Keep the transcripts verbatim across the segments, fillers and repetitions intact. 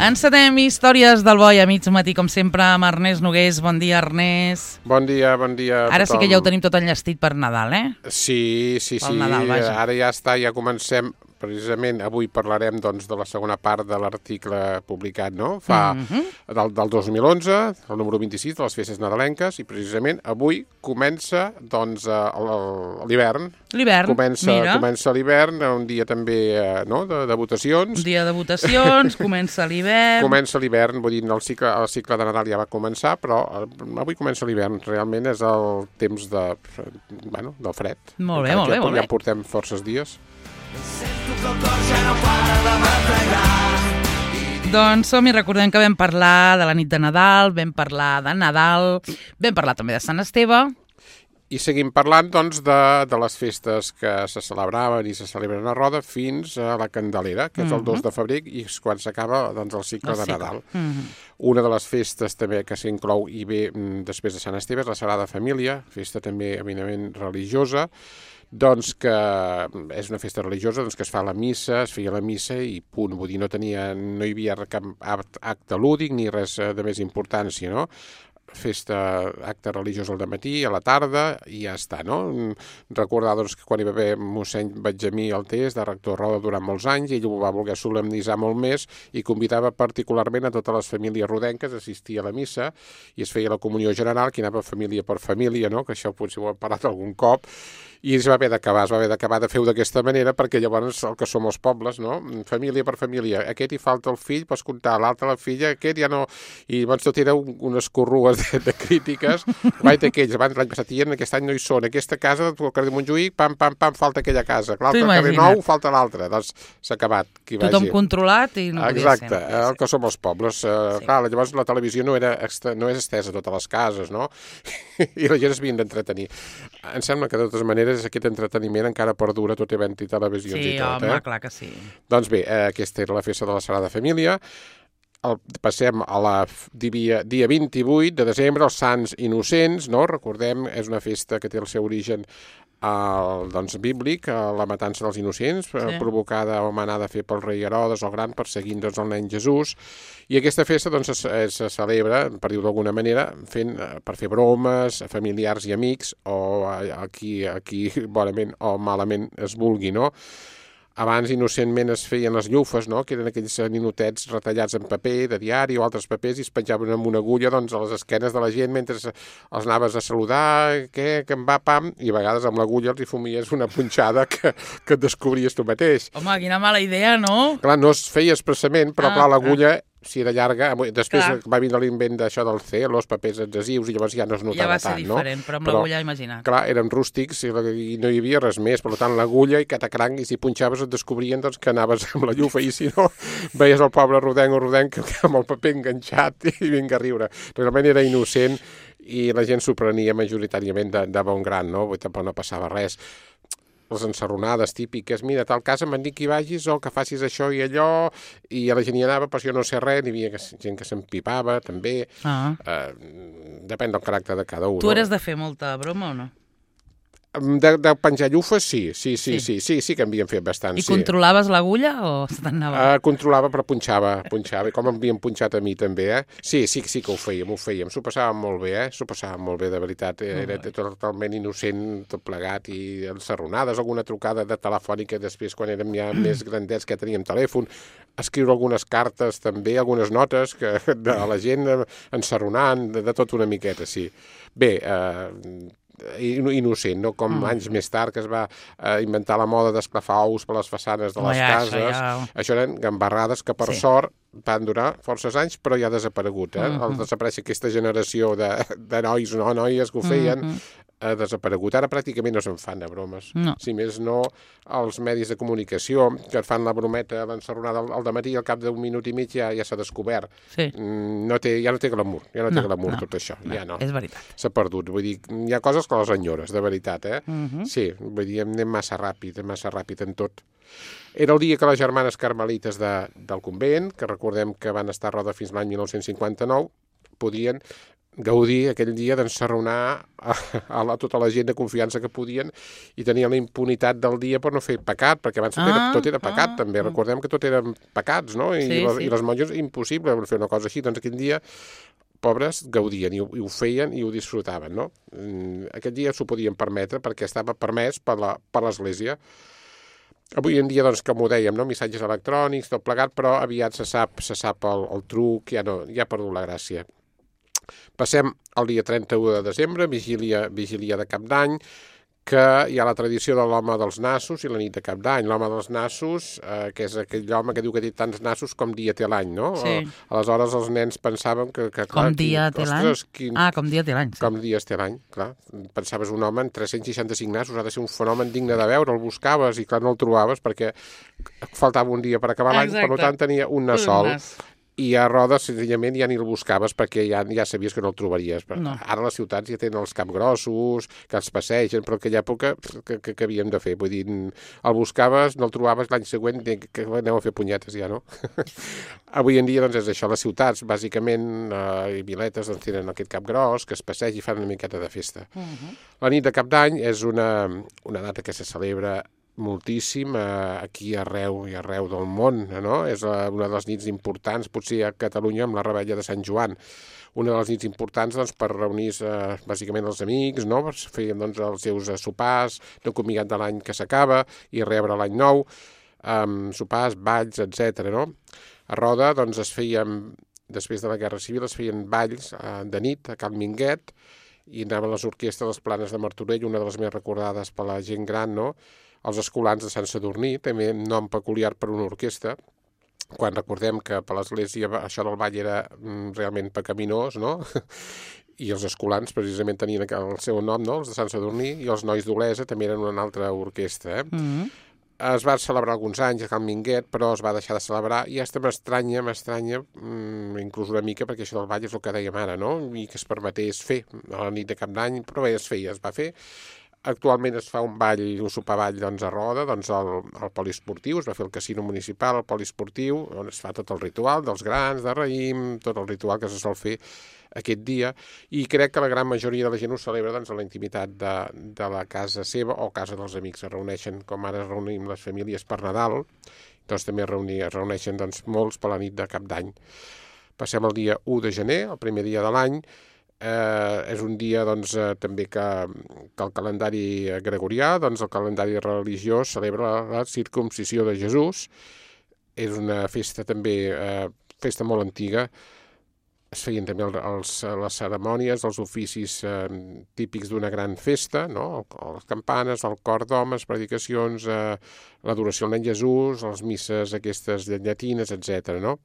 Encetem històries del bo i a mig matí, com sempre, amb Ernest Nogués. Bon dia, Ernest. Bon dia, bon dia a Ara tothom. sí que ja ho tenim tot enllestit per Nadal, eh? Sí, sí, sí. Pel Nadal, vaja. Ara ja està, ja comencem. Precisament avui parlarem doncs, de la segona part de l'article publicat, no? Fa Mhm. del, del dos mil onze, el número vint-i-sis de les festes nadalenques, i precisament avui comença doncs, eh, el- l'hivern. L'hivern, Comença, mira. comença l'hivern, un dia també eh, no? de, de votacions. Un dia de votacions, comença l'hivern. Comença l'hivern, vull dir, el cicle, el cicle de Nadal ja va començar, però eh, avui comença l'hivern. Realment és el temps de, bueno, del fred. Molt bé, Encara molt que bé, molt ja bé. portem forces dies. Doncs som i recordem que vam parlar de la nit de Nadal, vam parlar de Nadal, vam parlar també de Sant Esteve. I seguim parlant, doncs, de, de les festes que se celebraven i se celebren a Roda fins a la Candelera, que és el dos de febrer, i és quan s'acaba doncs, el cicle El de cicle. Nadal. Mhm. Una de les festes també que s'inclou i ve mm, després de Sant Esteve és la Sagrada Família, festa també eminentment religiosa, doncs que és una festa religiosa, doncs que es fa la missa, es feia la missa i punt, vull dir, no tenia, no hi havia cap acte lúdic ni res de més importància, no? Festa, acte religiós al dematí, a la tarda, i ja està, no? Recordar, doncs, que quan hi va haver mossèn Benjamí Altés, de rector Roda durant molts anys, ell ho va voler solemnitzar molt més i convidava particularment a totes les famílies rodenques a assistir a la missa i es feia la comunió general, que anava família per família, no? Que això potser ho hem parlat algun cop, i es va haver d'acabar, es va haver d'acabar de fer-ho d'aquesta manera, perquè llavors el que som els pobles, no? Família per família, aquest hi falta el fill, pots comptar, l'altre la filla, aquest ja no... I llavors tot era un, unes corrues de, de crítiques, guaita aquells, abans l'any passat dient, aquest any no hi són, aquesta casa, al carrer de Montjuïc, pam, pam, pam, falta aquella casa, l'altre al carrer Nou, falta l'altra, doncs s'ha acabat. Qui Tothom vagi. controlat i no podia Exacte, ser. el que som els pobles. Uh, Sí. Clar, llavors la televisió no, era extra, no és estesa a totes les cases, no? I la gent es havien d'entretenir. Em sembla que, de totes maneres, aquest entreteniment encara perdura tot havent-hi televisions Sí, i tot. home, eh? clar que sí. Doncs bé, eh, aquesta era la festa de la Sagrada Família. El, passem a la dia, dia vint-i-vuit de desembre, els Sants Innocents, no? Recordem, és una festa que té el seu origen el, doncs, bíblic, la matança dels innocents, sí. provocada o manada a fer pel rei Herodes el Gran, perseguint doncs, el nen Jesús. I aquesta festa doncs, se, se celebra, per dir-ho d'alguna manera, fent, per fer bromes a familiars i amics, o a, a, qui, a qui bonament o malament es vulgui, no? Abans, innocentment, es feien les llufes, no? Que eren aquells ninotets retallats en paper, de diari o altres papers, i es penjaven amb una agulla doncs, a les esquenes de la gent mentre els anaves a saludar, què, que em va, pam, i a vegades amb l'agulla els hi fumies una punxada que, que et descobries tu mateix. Home, quina mala idea, no? Clar, no es feia expressament, però Ah, clar, l'agulla... si era llarga, després Clar. va vindre l'invent d'això del C, els papers adhesius, i llavors ja no es notava Ja va ser tant, diferent, no? però amb l'agulla, imagina't. Clar, eren rústics i, i no hi havia res més, per tant, l'agulla i catacranc, i si punxaves et descobrien doncs, que anaves amb la llufa, i si no, veies el pobre rodenc o rodenc amb el paper enganxat i vinga a riure. Realment era innocent i la gent s'ho prenia majoritàriament de, de bon gran, no? Vull dir, tampoc no passava res. Les ensarronades típiques, mira, tal casa m'han dit que hi vagis o que facis això i allò, i a la gent hi anava, però jo no sé res, n'hi havia gent que s'empipava, també. Ah. Eh, depèn del caràcter de cada un. Tu no? eres de fer molta broma o no? De, de penjar llufes, sí, sí, sí, Sí. sí, sí, sí, sí que en havien fet bastant, I sí. controlaves l'agulla o se t'anava? Uh, controlava, però punxava, punxava, i com m'havien punxat a mi també, eh? Sí, sí, sí que ho fèiem, ho fèiem, s'ho passàvem molt bé, eh? S'ho passàvem molt bé, de veritat, era totalment innocent, tot plegat, i ensarronades, alguna trucada de telefònica després, quan érem ja més grandets, que teníem telèfon, escriure algunes cartes també, algunes notes que, de la gent ensarronant, de, de tot una miqueta, sí. Bé, eh... innocent, no? Com mm. anys més tard que es va eh, inventar la moda d'esclafar ous per les façanes de les Oh, ja, cases. això ja... Això eren gambarrades que, per Sí. sort, van durar forces anys, però ja ha desaparegut. Eh? Mm-hmm. Al desaparèixer aquesta generació de, de nois, no noies que ho feien, mm-hmm. ha desaparegut. Ara pràcticament no se'n fan de bromes. No. Si més no, els medis de comunicació que et fan la brometa, l'ensarronada al, al dematí, al cap d'un minut i mig ja, ja s'ha descobert. Sí. Mm, no té, ja no té glamour, ja no, no té glamour no, tot això. No, ja no. és veritat. S'ha perdut. Vull dir, hi ha coses que les enyores, de veritat, eh? Mm-hmm. Sí, vull dir, anem massa ràpid, massa ràpid en tot. Era el dia que les germanes carmelites de, del convent, que recordem que van estar a Roda fins l'any dinou cinquanta-nou, podien Gaudí aquell dia doncs s'arronar a, a la, tota la gent de confiança que podien i tenia la impunitat del dia per no fer pecat, perquè abans tot, ah, era, tot era pecat, ah, també. Recordem que tot eren pecats, no? I, sí, les, sí. I les monges, impossible fer una cosa així. Doncs aquell dia, pobres, gaudien i ho, i ho feien i ho disfrutaven, no? Aquest dia s'ho podien permetre perquè estava permès per la, per l'Església. Avui en dia, doncs, com ho dèiem, no? Missatges electrònics, tot plegat, però aviat se sap, se sap el, el truc, ja no, ja ha perdut la gràcia. Passem al dia trenta-u de desembre, vigília, vigília de Cap d'Any, que hi ha la tradició de l'home dels nassos i la nit de Cap d'Any. L'home dels nassos, eh, que és aquell home que diu que té tants nassos com dia té l'any, no? Sí. Aleshores els nens pensaven que... que com clar, dia té l'any? Quin... Ah, com dia té l'any. Sí. Com dies té l'any, clar. Pensaves un home amb tres-cents seixanta-cinc nassos, ha de ser un fenomen digne de veure, el buscaves i clar, no el trobaves perquè faltava un dia per acabar l'any, per tant tenia un nas sol. I a Roda, senzillament, ja ni el buscaves perquè ja, ja sabies que no el trobaries. No. Ara les ciutats ja tenen els capgrossos, que els passegen, però en aquella època, que, que, que havíem de fer? Vull dir, el buscaves, no el trobaves, l'any següent que aneu a fer punyetes ja, no? Avui en dia, doncs, és això. Les ciutats, bàsicament, eh, i viletes, doncs, tenen aquest capgros, que es passegi i fan una miqueta de festa. Uh -huh. La nit de Cap d'Any és una, una data que se celebra moltíssim eh, aquí arreu i arreu del món, no? És eh, una de les nits importants, potser a Catalunya amb la Revetlla de Sant Joan, una de les nits importants doncs, per reunir-se eh, bàsicament els amics, no? Feien doncs, els seus eh, sopars de comiat de l'any que s'acaba i rebre l'any nou, eh, sopars, balls, etcètera. No? A Roda doncs, es feien, després de la Guerra Civil, es feien balls eh, de nit a Cal Minguet i anaven les orquestres dels Planes de Martorell, una de les més recordades per la gent gran, no? Els escolans de Sant Sadurní, també nom peculiar per una orquestra, quan recordem que per l'Església això del ball era mm, realment pecaminós, no? I els escolans precisament tenien el seu nom, no? Els de Sant Sadurní, i els nois d'Olesa també eren una altra orquestra. Eh? Mm-hmm. Es va celebrar alguns anys a Cal Minguet, però es va deixar de celebrar, i aquesta m'estranya, m'estranya, mm, inclús una mica, perquè això del ball és el que dèiem ara, no? I que es permetés fer a la nit de Cap d'Any, però bé, es feia, es va fer. Actualment es fa un ball, un sopar-ball doncs, a Roda, doncs, al, al poliesportiu, es va fer el casino municipal, el poliesportiu, on es fa tot el ritual dels grans, de raïm, tot el ritual que se sol fer aquest dia, i crec que la gran majoria de la gent ho celebra doncs, a la intimitat de, de la casa seva o casa dels amics. Es reuneixen, com ara es reunim les famílies per Nadal, doncs també es, reunir, es reuneixen doncs, molts per la nit de Cap d'Any. Passem al dia u de gener, el primer dia de l'any. Eh, és un dia doncs, eh, també que, que el calendari gregorià, doncs el calendari religiós celebra la circumcisió de Jesús. És una festa també, eh, festa molt antiga. Es feien també els, les cerimònies, els oficis eh, típics d'una gran festa, no? Les campanes, el cor d'homes, predicacions, eh, l'adoració al nen Jesús, les misses aquestes llatines, etcètera, no?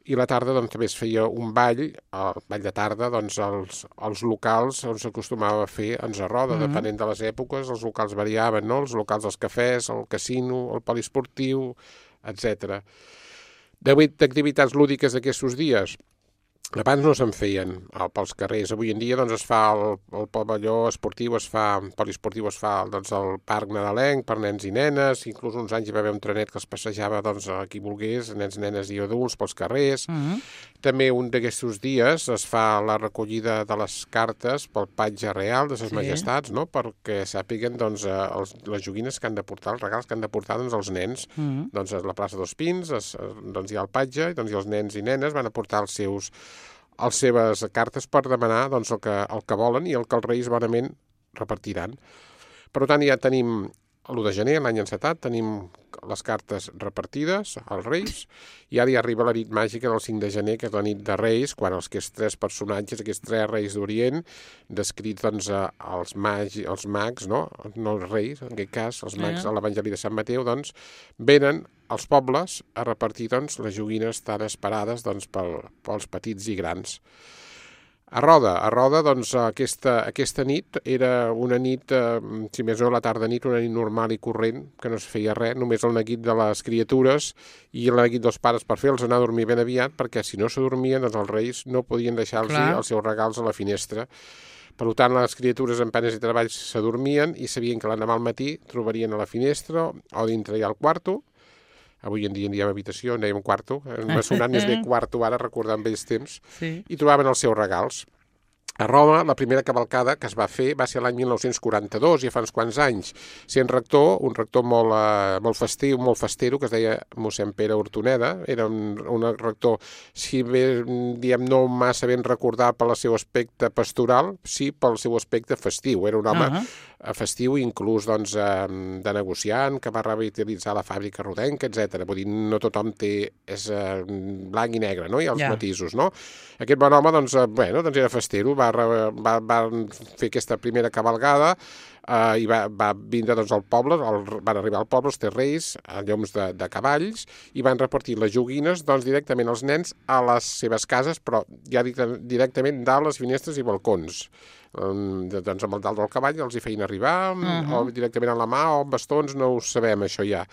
I la tarda doncs, també es feia un ball, el ball de tarda, doncs, als, als locals on s'acostumava a fer ens a Roda, mm-hmm. depenent de les èpoques, els locals variaven, no? Els locals dels cafès, el casino, el poliesportiu, etcètera. D'activitats lúdiques d'aquests dies, abans no se'n feien pels carrers. Avui en dia doncs, es fa el, el pavelló esportiu, es fa, el poliesportiu es fa doncs, al parc nadalenc per nens i nenes, inclús uns anys hi va haver un trenet que es passejava doncs, a qui volgués, nens, nenes i adults pels carrers. Mm-hmm. També un d'aquests dies es fa la recollida de les cartes pel patge real de ses sí. majestats, no? Perquè sàpiguen doncs, els, les joguines que han de portar, els regals que han de portar doncs, els nens. Mm-hmm. Doncs a la plaça dels Pins es, doncs, hi ha el patge i, doncs, i els nens i nenes van a portar els seus les seves cartes per demanar doncs, el, que, el que volen i el que els reis bonament repartiran. Per tant, ja tenim l'u de gener, l'any encetat, tenim les cartes repartides als reis i ara hi arriba la nit màgica del cinc de gener, que és la nit de reis, quan els aquests tres personatges, aquests tres reis d'Orient, descrits doncs, als, magi, als mags, no? no els reis, en aquest cas, els mags a l'Evangeli de Sant Mateu, doncs, venen als pobles a repartir doncs, les joguines tan esperades doncs, pel, pels petits i grans. A Roda, a Roda doncs, aquesta, aquesta nit era una nit, eh, si més no la tarda nit, una nit normal i corrent, que no es feia res, només el neguit de les criatures i el neguit dels pares per fer-los anar a dormir ben aviat, perquè si no s'adormien, doncs els reis no podien deixar-los els seus regals a la finestra. Per tant, les criatures en penes i treballs s'adormien i sabien que l'endemà al matí trobarien a la finestra o dintre ja al quarto. Avui en dia en diem habitació, en dèiem quarto, m'ha sonat més bé quarto ara, recordant vells temps, sí. I trobaven els seus regals. A Roma, la primera cavalcada que es va fer va ser l'any mil nou-cents quaranta-dos, ja fa uns quants anys, sent rector, un rector molt, eh, molt festiu, molt festero, que es deia mossèn Pere Hortoneda. Era un, un rector, si bé, diem, no massa ben recordat pel seu aspecte pastoral, sí pel seu aspecte festiu. Era un home uh -huh. festiu, inclús doncs, de negociant, que va revitalitzar la fàbrica rodenca, etcètera. Vull dir, no tothom té, és eh, blanc i negre, no? Hi ha els yeah. matisos, no? Aquest bon home, doncs, eh, bueno, doncs era festero, va, va, va fer aquesta primera cavalgada eh, i va, va vindre doncs, al poble, el, van arribar al poble els terreis, a lloms de, de cavalls, i van repartir les joguines doncs, directament als nens a les seves cases, però ja directament dalt les finestres i balcons. Um, doncs amb el dalt del cavall els hi feien arribar, uh -huh. o directament a la mà, o amb bastons, no ho sabem, això ja.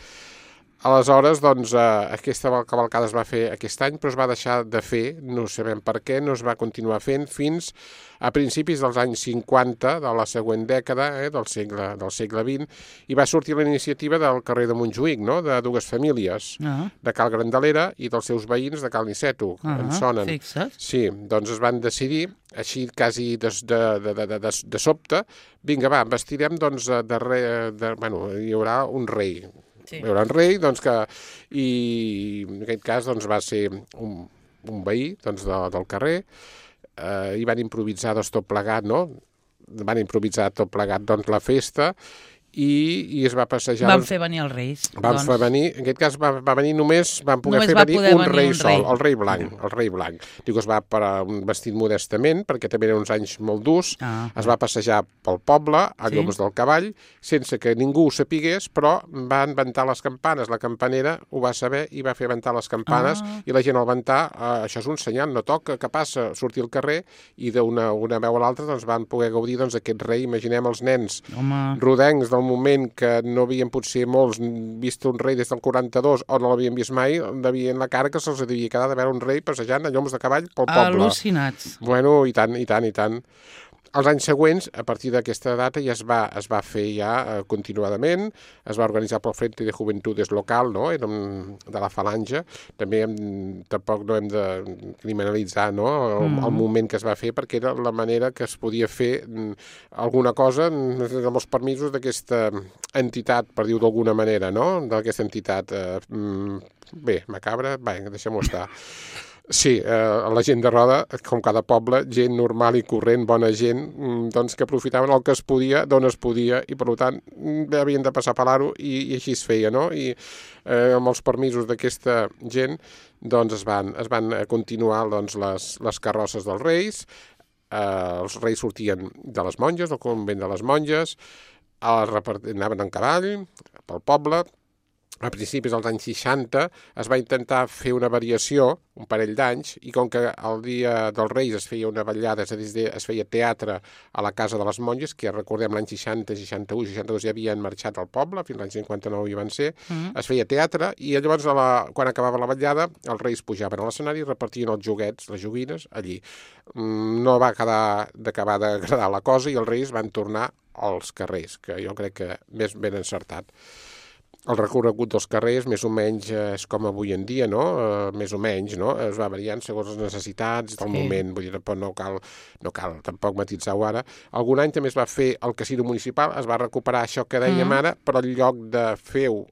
Aleshores, doncs, eh, aquesta cavalcada es va fer aquest any, però es va deixar de fer, no sabem per què, no es va continuar fent fins a principis dels anys cinquanta de la següent dècada, eh, del segle, del segle vint, i va sortir la iniciativa del carrer de Montjuïc, no?, de dues famílies, uh -huh. de Cal Grandalera i dels seus veïns de Cal Niceto, uh -huh. en sonen. Fixa't. Sí, doncs es van decidir, així quasi de, de, de, de, de, de sobte, vinga, va, vestirem, doncs, de, re, de, bueno, hi haurà un rei, sí. Hi haurà un rei, doncs que, i en aquest cas doncs, va ser un, un veí doncs, de, del carrer, eh, i van improvisar doncs, tot plegat, no? Van improvisar tot plegat doncs, la festa, i, i es va passejar... Van fer venir els reis. Van doncs. fer venir, en aquest cas va, va venir només, van poder només fer va venir poder un venir rei un sol, rei. el rei blanc, el rei blanc. Diu que es va per un vestit modestament, perquè també eren uns anys molt durs, ah. es va passejar pel poble, a sí. lloms del cavall, sense que ningú ho sapigués, però van ventar les campanes. La campanera ho va saber i va fer ventar les campanes, ah. i la gent al ventar, eh, això és un senyal, no toca, que passa, sortir al carrer, i d'una una veu a l'altra doncs, van poder gaudir doncs, d'aquest rei. Imaginem els nens Home. rodencs del moment que no havien potser molts vist un rei des del quaranta-dos o no l'havien vist mai, devien la cara que se'ls devia quedar de veure un rei passejant a lloms de cavall pel poble. Al·lucinats. Bueno, i tant, i tant, i tant. Els anys següents, a partir d'aquesta data, ja es va, es va fer ja eh, continuadament, es va organitzar pel Frente de Juventudes local, no?, era un, de la Falange. També hem, tampoc no hem de criminalitzar, no?, el, mm. el moment que es va fer, perquè era la manera que es podia fer alguna cosa amb els permisos d'aquesta entitat, per dir-ho d'alguna manera, no?, d'aquesta entitat, eh, bé, macabra, va, deixem-ho estar. Sí, eh, la gent de Roda, com cada poble, gent normal i corrent, bona gent, doncs que aprofitaven el que es podia, d'on es podia, i per tant havien de passar per l'aro, i, i així es feia, no? I eh, amb els permisos d'aquesta gent, doncs es van, es van continuar doncs, les, les carrosses dels reis, eh, els reis sortien de les monges, del convent de les monges, anaven en cavall pel poble. A principis dels anys seixanta es va intentar fer una variació, un parell d'anys, i com que el dia dels Reis es feia una vetllada, és a dir, es feia teatre a la casa de les monges, que recordem l'any seixanta, seixanta-u, seixanta-dos ja havien marxat al poble, fins l'any cinquanta-nou hi van ser, mm. es feia teatre, i llavors a la, quan acabava la vetllada els Reis pujaven a l'escenari i repartien els joguets, les joguines, allí. No va quedar d'acabar d'agradar la cosa i els Reis van tornar als carrers, que jo crec que més ben encertat. El recorregut dels carrers més o menys és com avui en dia, no? Uh, més o menys, no? Es va variant segons les necessitats del sí. moment, vull dir, no cal, no cal tampoc matitzar-ho ara. Algun any també es va fer el casino municipal, es va recuperar això que dèiem mm. ara, però en lloc de fer-ho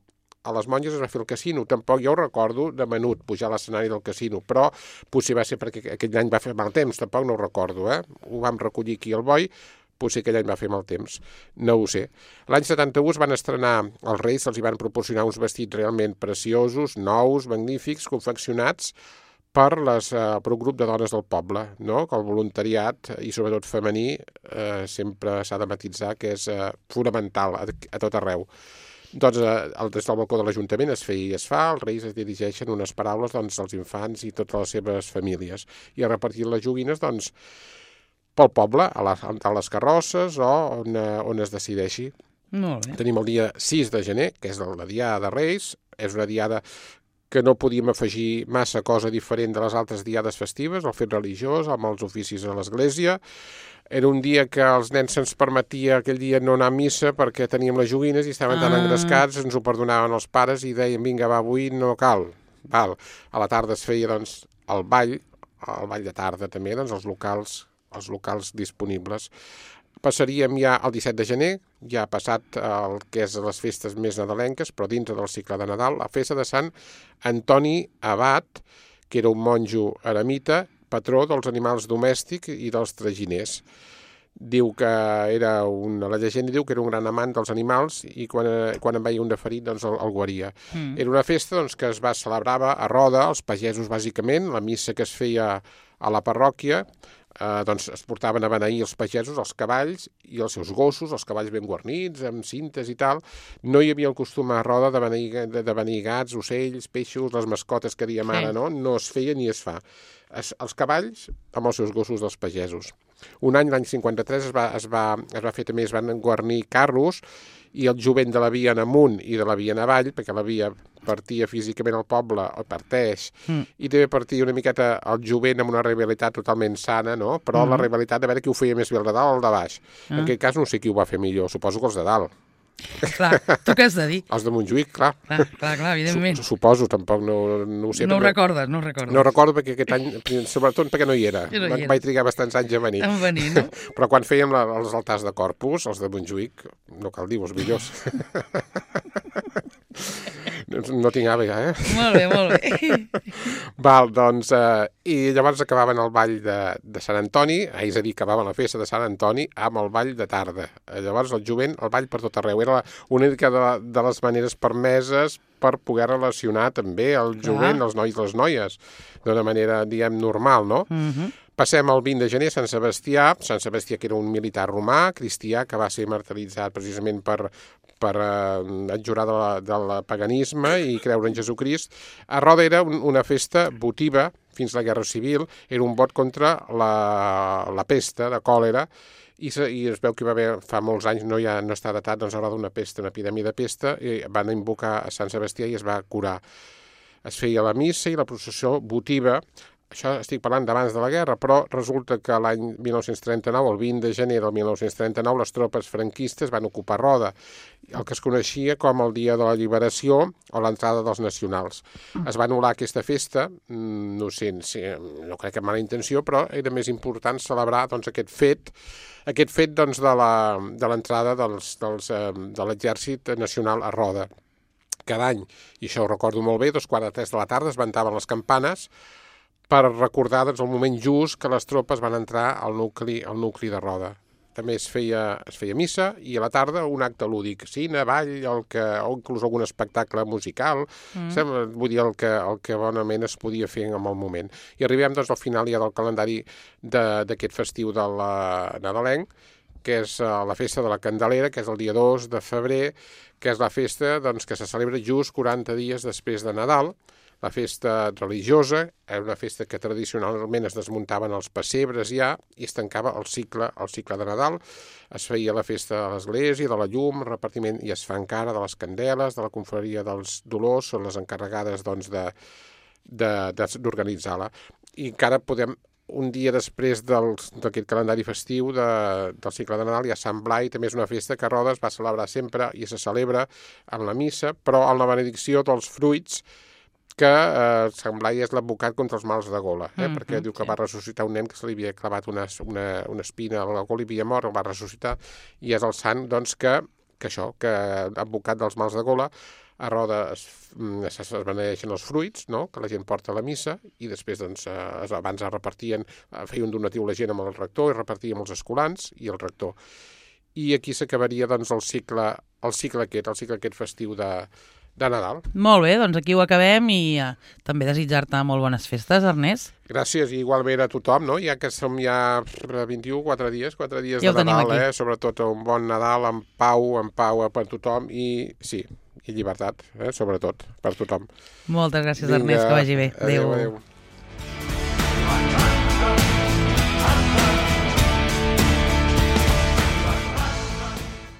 a les monges es va fer el casino. Tampoc jo ho recordo de menut pujar a l'escenari del casino, però potser va ser perquè aquell any va fer mal temps, tampoc no ho recordo, eh? Ho vam recollir aquí al Boi, potser aquell any va fer mal temps, no ho sé. L'any setanta-u es van estrenar els Reis, se'ls hi van proporcionar uns vestits realment preciosos, nous, magnífics, confeccionats per, les, eh, per un grup de dones del poble, no? Que el voluntariat, i sobretot femení, eh, sempre s'ha de matitzar que és eh, fonamental a, a tot arreu. Doncs eh, des del balcó de l'Ajuntament es feia i es fa, els Reis es dirigeixen unes paraules doncs, als infants i totes les seves famílies, i a repartir les joguines, doncs, pel poble, a les, a les carrosses o on, on es decideixi. Molt bé. Tenim el dia sis de gener, que és la Diada de Reis, és una diada que no podíem afegir massa cosa diferent de les altres diades festives, el fet religiós, amb els oficis a l'església. Era un dia que als nens se'ns permetia aquell dia no anar a missa perquè teníem les joguines i estaven ah. tan engrescats, ens ho perdonaven els pares i deien, vinga, va, avui no cal. Val. A la tarda es feia doncs, el ball, el ball de tarda també, doncs els locals els locals disponibles. Passaríem ja al disset de gener, ja ha passat el que és les festes més nadalenques, però dintre del cicle de Nadal, la festa de Sant Antoni Abat, que era un monjo eremita, patró dels animals domèstics i dels traginers. Diu que era una, la llegenda diu que era un gran amant dels animals i quan, quan en veia un de ferit doncs el, el guaria. Mm. Era una festa doncs, que es va celebrava a Roda, els pagesos bàsicament, la missa que es feia a la parròquia, eh, doncs es portaven a beneir els pagesos, els cavalls i els seus gossos, els cavalls ben guarnits, amb cintes i tal. No hi havia el costum a Roda de beneir, de, de beneir gats, ocells, peixos, les mascotes que diem ara, no? No es feia ni es fa. Es, els cavalls amb els seus gossos dels pagesos. Un any, l'any cinquanta-tres, es va, es, va, es va fer també, es van guarnir carros i el jovent de la via en amunt i de la via en avall, perquè la via partia físicament al poble, o parteix, mm. i també partia una miqueta el jovent amb una rivalitat totalment sana, no? Però mm. la rivalitat de veure qui ho feia més bé, el de dalt o el de baix. Mm. En aquest cas no sé qui ho va fer millor, suposo que els de dalt. Clar, tu què has de dir? Els de Montjuïc, clar. Clar, clar, clar evidentment. Suposo, tampoc no, no ho sé. No ho perquè... recordes, no ho recordes. No ho recordo perquè aquest any, sobretot perquè no hi era. No hi era. Vaig trigar bastants anys a venir. A venir, no? Però quan fèiem la, els altars de Corpus, els de Montjuïc, no cal dir-ho, els millors. No tinc àvega, eh? Molt bé, molt bé. Val, doncs, eh, i llavors acabaven el ball de, de Sant Antoni, eh, és a dir, acabaven la festa de Sant Antoni amb el ball de tarda. Eh, llavors el jovent, el ball per tot arreu. Era una mica de, de les maneres permeses per poder relacionar també el jovent, els nois i les noies, d'una manera, diguem, normal, no? Mhm. Passem al vint de gener, Sant Sebastià. Sant Sebastià, que era un militar romà, cristià, que va ser martiritzat precisament per, per eh, adjurar de la, del paganisme i creure en Jesucrist. A Roda era un, una festa votiva fins a la Guerra Civil, era un vot contra la, la pesta de còlera, i, se, i es veu que va haver, fa molts anys, no, ja, no està datat, doncs a Roda una pesta, una epidèmia de pesta, i van invocar a Sant Sebastià i es va curar. Es feia la missa i la processió votiva. Això estic parlant d'abans de la guerra, però resulta que l'any mil nou-cents trenta-nou, el vint de gener del mil nou-cents trenta-nou, les tropes franquistes van ocupar Roda, el que es coneixia com el Dia de la Liberació o l'entrada dels nacionals. Es va anul·lar aquesta festa, no sé, no crec que amb mala intenció, però era més important celebrar doncs, aquest fet, aquest fet doncs, de l'entrada dels, dels, de l'exèrcit nacional a Roda. Cada any, i això ho recordo molt bé, dos quarts de tres de la tarda es ventaven les campanes per recordar doncs, el moment just que les tropes van entrar al nucli, al nucli de Roda. També es feia, es feia missa i a la tarda un acte lúdic, cine, ball, el que, o inclús algun espectacle musical, mm. sembla, vull dir, el que, el que bonament es podia fer en el moment. I arribem doncs, al final ja del calendari d'aquest festiu de la nadalenc, que és uh, la festa de la Candelera, que és el dia dos de febrer, que és la festa doncs, que se celebra just quaranta dies després de Nadal. La festa religiosa era una festa que tradicionalment es desmuntaven els pessebres ja i es tancava el cicle, el cicle de Nadal. Es feia la festa de l'església, de la llum, repartiment, i es fa encara de les candeles, de la confraria dels Dolors, són les encarregades doncs, de, de, d'organitzar-la. I encara podem, un dia després d'aquest calendari festiu de, del cicle de Nadal, hi ha Sant Blai, també és una festa que a Roda es va celebrar sempre i se celebra en la missa, però en la benedicció dels fruits, que eh, Sant Blai és l'advocat contra els mals de gola, eh? mm, perquè mm, diu que sí. va ressuscitar un nen que se li havia clavat una, una, una espina a la gola i havia mort, el va ressuscitar, i és el sant doncs, que, que això, que advocat dels mals de gola, a Roda es, es, es benedeixen els fruits, no? Que la gent porta a la missa, i després doncs, es, abans es repartien, feien un donatiu la gent amb el rector i repartíem els escolans i el rector. I aquí s'acabaria doncs, el cicle, el cicle aquest, el cicle aquest festiu de de Nadal. Molt bé, doncs aquí ho acabem i uh, també desitjar-te molt bones festes, Ernest. Gràcies, i igualment a tothom, no? Ja que som ja vint-i-u, quatre dies, quatre dies ja de Nadal, eh? Sobretot un bon Nadal, amb pau, amb pau per tothom i, sí, i llibertat, eh? Sobretot, per tothom. Moltes gràcies, Vinga, Ernest, que vagi bé. Adéu. Adéu, adéu.